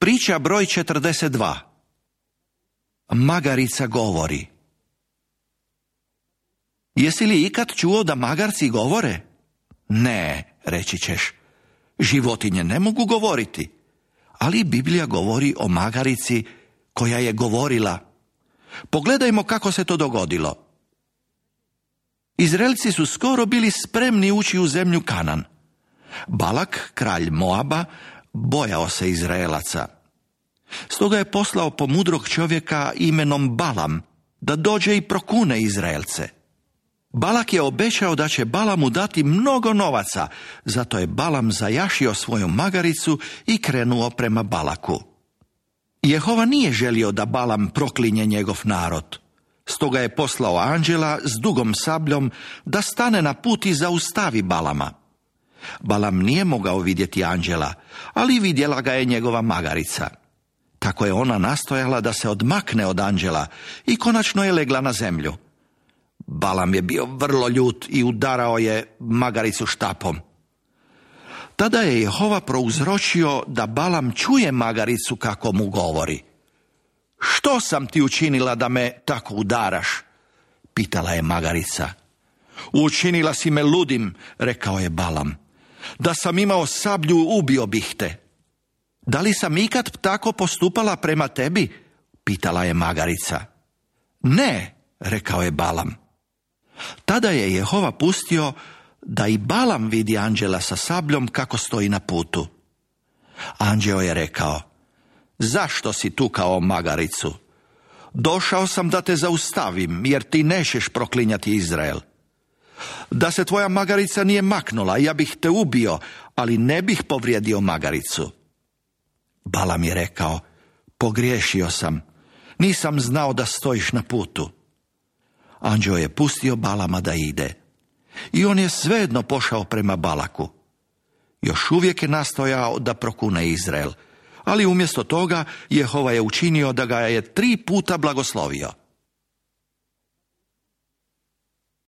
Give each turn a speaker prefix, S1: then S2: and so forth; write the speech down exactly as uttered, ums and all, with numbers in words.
S1: Priča broj četrdeset dva. Magarica govori. Jesi li ikad čuo da magarci govore? Ne, reći ćeš. Životinje ne mogu govoriti. Ali Biblija govori o magarici koja je govorila. Pogledajmo kako se to dogodilo. Izraelci su skoro bili spremni ući u zemlju Kanan. Balak, kralj Moaba, bojao se Izraelaca. Stoga je poslao po mudrog čovjeka imenom Balam da dođe i prokune Izraelce. Balak je obećao da će Balamu dati mnogo novaca, zato je Balam zajašio svoju magaricu i krenuo prema Balaku. Jehova nije želio da Balam proklinje njegov narod. Stoga je poslao anđela s dugom sabljom da stane na put i zaustavi Balama. Balam nije mogao vidjeti anđela, ali vidjela ga je njegova magarica. Tako je ona nastojala da se odmakne od anđela i konačno je legla na zemlju. Balam je bio vrlo ljut i udarao je magaricu štapom. Tada je Jehova prouzročio da Balam čuje magaricu kako mu govori. Što sam ti učinila da me tako udaraš? Pitala je magarica. Učinila si me ludim, rekao je Balam. Da sam imao sablju, ubio bih te. Da li sam ikad tako postupala prema tebi? Pitala je magarica. Ne, rekao je Balam. Tada je Jehova pustio da i Balam vidi anđela sa sabljom kako stoji na putu. Anđeo je rekao, zašto si tukao magaricu? Došao sam da te zaustavim, jer ti nećeš proklinjati Izrael. Da se tvoja magarica nije maknula, ja bih te ubio, ali ne bih povrijedio magaricu. Balam je rekao, pogriješio sam, nisam znao da stojiš na putu. Anđeo je pustio Balama da ide. I on je svejedno pošao prema Balaku. Još uvijek je nastojao da prokune Izrael, ali umjesto toga Jehova je učinio da ga je tri puta blagoslovio.